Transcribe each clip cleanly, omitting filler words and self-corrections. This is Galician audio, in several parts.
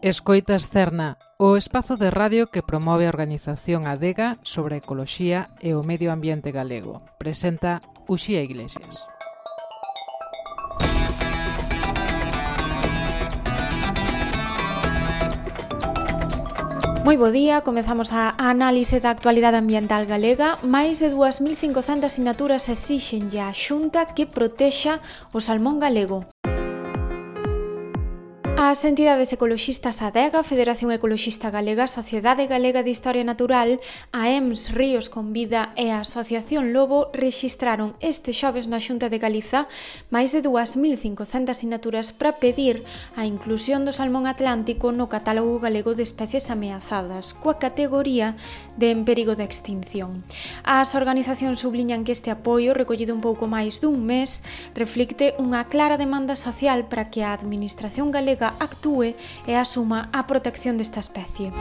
Escoitas Cerna, o espazo de radio que promove a organización Adega sobre a ecoloxía e o medio ambiente galego. Presenta Uxía Iglesias. Moi bo día, comezamos a análise da actualidade ambiental galega. Máis de 2.500 sinaturas exixenlle á Xunta que protexa o salmón galego. As entidades ecoloxistas Adega, Federación Ecoloxista Galega, Sociedade Galega de Historia Natural, a EMS Ríos con Vida e a Asociación Lobo rexistraron este xoves na Xunta de Galiza máis de 2.500 sinaturas para pedir a inclusión do salmón atlántico no catálogo galego de especies ameazadas, coa categoría de en perigo de extinción. As organizacións subliñan que este apoio, recollido un pouco máis dun mes, reflicte unha clara demanda social para que a Administración galega actúe e asuma a protección desta especie.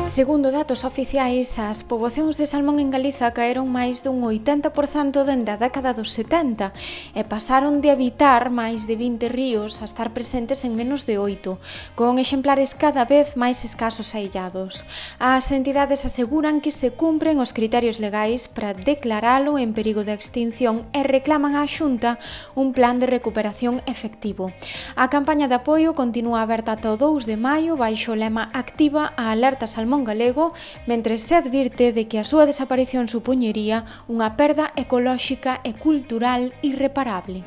Segundo datos oficiais, as poboacións de salmón en Galiza caeron máis dun 80% dende a década dos 70 e pasaron de habitar máis de 20 ríos a estar presentes en menos de 8, con exemplares cada vez máis escasos e illados. As entidades aseguran que se cumpren os criterios legais para declaralo en perigo de extinción e reclaman á Xunta un plan de recuperación efectivo. A campaña de apoio continúa aberta ata o 2 de maio baixo o lema Activa a alerta salmón galego, mentre se advirte de que a súa desaparición supoñería unha perda ecolóxica e cultural irreparable.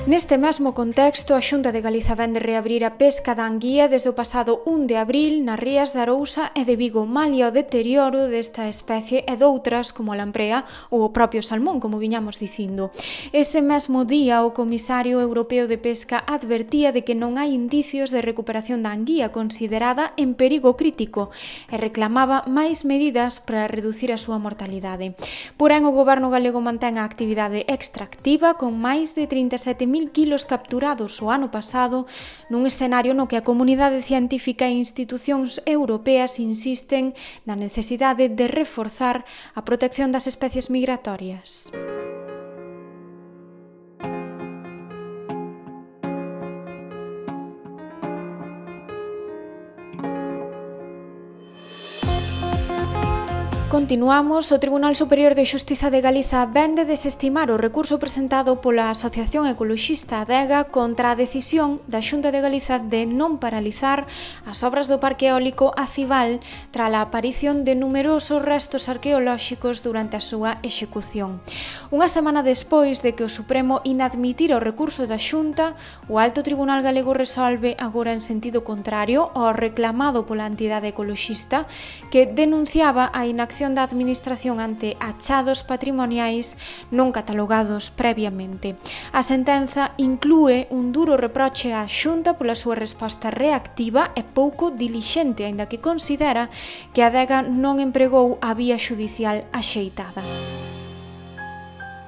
Neste mesmo contexto, a Xunta de Galiza vén de reabrir a pesca da anguía desde o pasado 1 de abril nas rías de Arousa e de Vigo, malia o deterioro desta especie e doutras como a lamprea ou o propio salmón, como viñamos dicindo. Ese mesmo día, o Comisario Europeo de Pesca advertía de que non hai indicios de recuperación da anguía considerada en perigo crítico e reclamaba máis medidas para reducir a súa mortalidade. Porén, o Goberno galego mantén a actividade extractiva con máis de 37.000 kilos capturados o ano pasado nun escenario no que a comunidade científica e institucións europeas insisten na necesidade de reforzar a protección das especies migratorias. Continuamos. O Tribunal Superior de Xustiza de Galiza vén de desestimar o recurso presentado pola Asociación Ecoloxista Adega contra a decisión da Xunta de Galiza de non paralizar as obras do Parque Eólico Acival tras a aparición de numerosos restos arqueolóxicos durante a súa execución. Unha semana despois de que o Supremo inadmitira o recurso da Xunta, o Alto Tribunal Galego resolve agora en sentido contrario ao reclamado pola entidade ecoloxista que denunciaba a inacción da Administración ante achados patrimoniais non catalogados previamente. A sentenza inclúe un duro reproche á Xunta pola súa resposta reactiva e pouco dilixente, aínda que considera que a Adega non empregou a vía xudicial axeitada.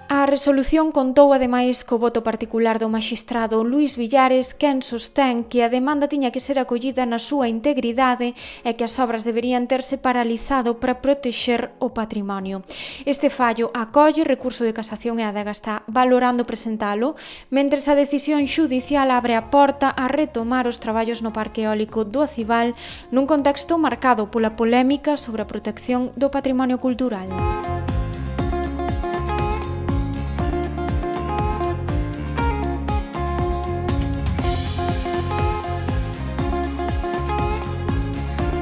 A resolución contou ademais co voto particular do maxistrado Luís Villares, quen sostén que a demanda tiña que ser acollida na súa integridade e que as obras deberían terse paralizado para protexer o patrimonio. Este fallo acolle recurso de casación e a Adega está valorando presentalo, mentres a decisión xudicial abre a porta a retomar os traballos no Parque Eólico do Acival nun contexto marcado pola polémica sobre a protección do patrimonio cultural.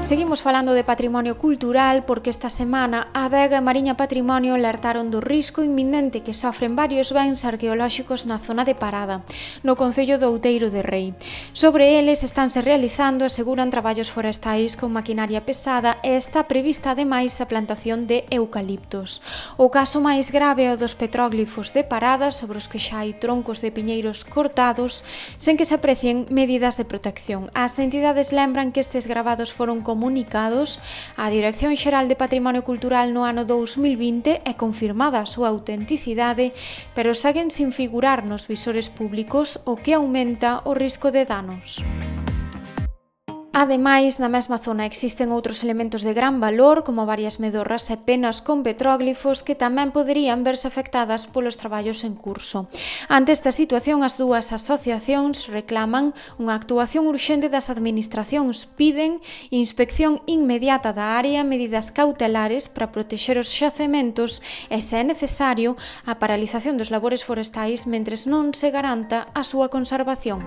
Seguimos falando de patrimonio cultural porque esta semana a Adega e Mariña Patrimonio alertaron do risco inminente que sofren varios bens arqueolóxicos na zona de Parada, no concello do Outeiro de Rei. Sobre eles estánse realizando, aseguran, traballos forestais con maquinaria pesada e está prevista ademais a plantación de eucaliptos. O caso máis grave é o dos petróglifos de Parada, sobre os que xa hai troncos de piñeiros cortados, sen que se aprecien medidas de protección. As entidades lembran que estes gravados foron comunicados á Dirección Xeral de Patrimonio Cultural no ano 2020 e confirmada a súa autenticidade, pero seguen sin figurar nos visores públicos, o que aumenta o risco de danos. Ademais, na mesma zona existen outros elementos de gran valor, como varias medorras e penas con petróglifos que tamén poderían verse afectadas polos traballos en curso. Ante esta situación, as dúas asociacións reclaman unha actuación urxente das administracións, piden inspección inmediata da área, medidas cautelares para protexer os xacementos e, se é necesario, a paralización dos labores forestais mentres non se garanta a súa conservación.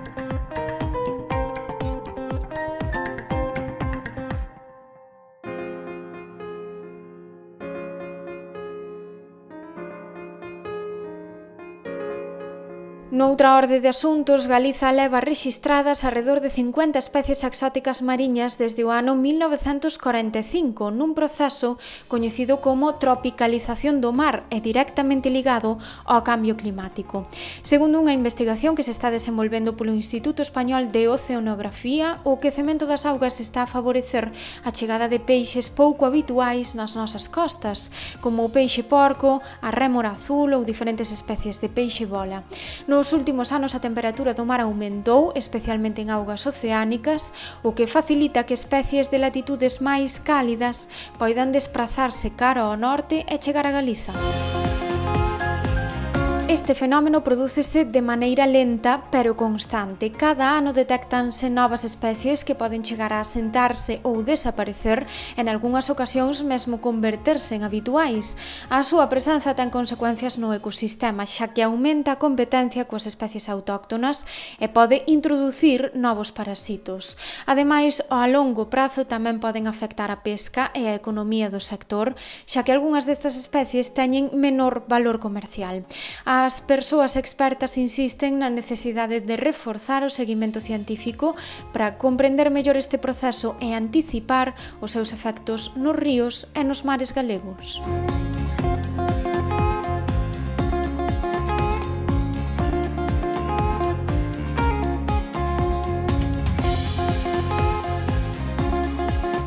Noutra orde de asuntos, Galiza leva rexistradas arredor de 50 especies exóticas mariñas desde o ano 1945, nun proceso coñecido como tropicalización do mar e directamente ligado ao cambio climático. Segundo unha investigación que se está desenvolvendo polo Instituto Español de Oceanografía, o quecemento das augas está a favorecer a chegada de peixes pouco habituais nas nosas costas, como o peixe porco, a rémora azul ou diferentes especies de peixe bola. Nos últimos anos a temperatura do mar aumentou, especialmente en augas oceánicas, o que facilita que especies de latitudes máis cálidas poidan desprazarse cara ao norte e chegar a Galiza. Este fenómeno prodúcese de maneira lenta pero constante. Cada ano detectanse novas especies que poden chegar a asentarse ou desaparecer, en algunhas ocasións mesmo converterse en habituais. A súa presenza ten consecuencias no ecosistema, xa que aumenta a competencia coas especies autóctonas e pode introducir novos parasitos. Ademais, a longo prazo tamén poden afectar a pesca e a economía do sector, xa que algunhas destas especies teñen menor valor comercial. As persoas expertas insisten na necesidade de reforzar o seguimento científico para comprender mellor este proceso e anticipar os seus efectos nos ríos e nos mares galegos.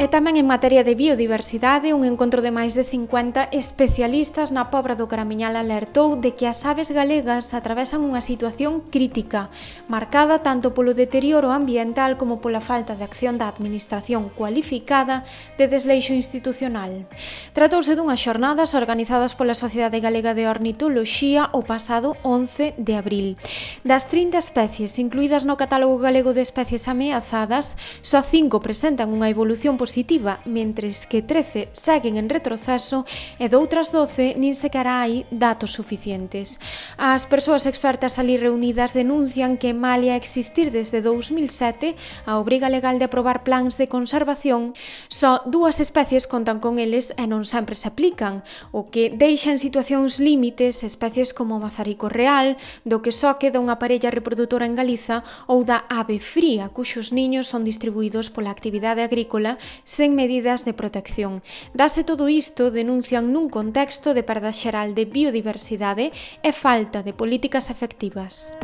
E tamén en materia de biodiversidade, un encontro de máis de 50 especialistas na Pobra do Caramiñal alertou de que as aves galegas atravesan unha situación crítica, marcada tanto polo deterioro ambiental como pola falta de acción da administración cualificada de desleixo institucional. Tratouse dunhas xornadas organizadas pola Sociedade Galega de Ornitoloxía o pasado 11 de abril. Das 30 especies incluídas no catálogo galego de especies ameazadas, só 5 presentan unha evolución positiva, mentres que 13 seguen en retroceso e doutras 12 nin sequera hai datos suficientes. As persoas expertas ali reunidas denuncian que malia existir desde 2007 a obriga legal de aprobar plans de conservación, só 2 especies contan con eles e non sempre se aplican, o que deixa en situacións límites especies como o mazarico real, do que só queda unha parella reprodutora en Galiza, ou da ave fría, cuxos niños son distribuídos pola actividade agrícola sen medidas de protección. Dase todo isto, denuncian nun contexto de perda xeral de biodiversidade e falta de políticas efectivas.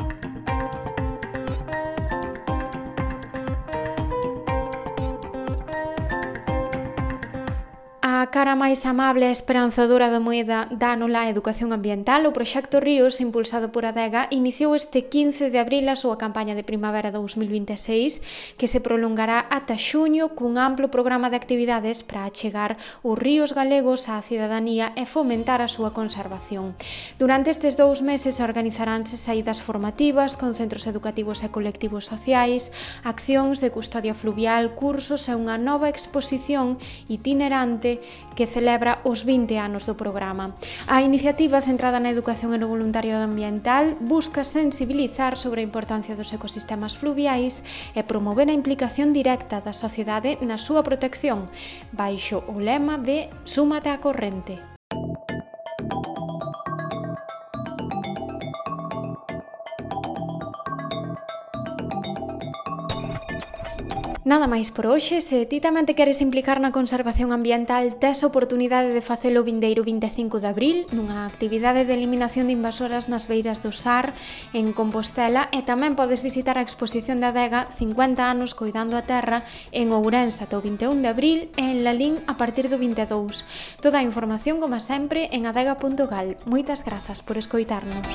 A cara máis amable e esperanzadora da moeda dánola a educación ambiental, o proxecto Ríos, impulsado por Adega, iniciou este 15 de abril a súa campaña de primavera 2026, que se prolongará ata xuño cun amplo programa de actividades para achegar os ríos galegos á cidadanía e fomentar a súa conservación. Durante estes 2 meses organizaránse saídas formativas con centros educativos e colectivos sociais, accións de custodia fluvial, cursos e unha nova exposición itinerante que celebra os 20 anos do programa. A iniciativa, centrada na educación e no voluntariado ambiental, busca sensibilizar sobre a importancia dos ecosistemas fluviais e promover a implicación directa da sociedade na súa protección, baixo o lema de Súmate á corrente. Nada máis por hoxe. Se ti tamén te queres implicar na conservación ambiental, tes a oportunidade de facelo o vindeiro 25 de abril nunha actividade de eliminación de invasoras nas beiras do Sar en Compostela, e tamén podes visitar a exposición da Adega 50 anos coidando a terra en Ourense ata o 21 de abril e en Lalín a partir do 22. Toda a información, como sempre, en adega.gal. Moitas grazas por escoitarnos.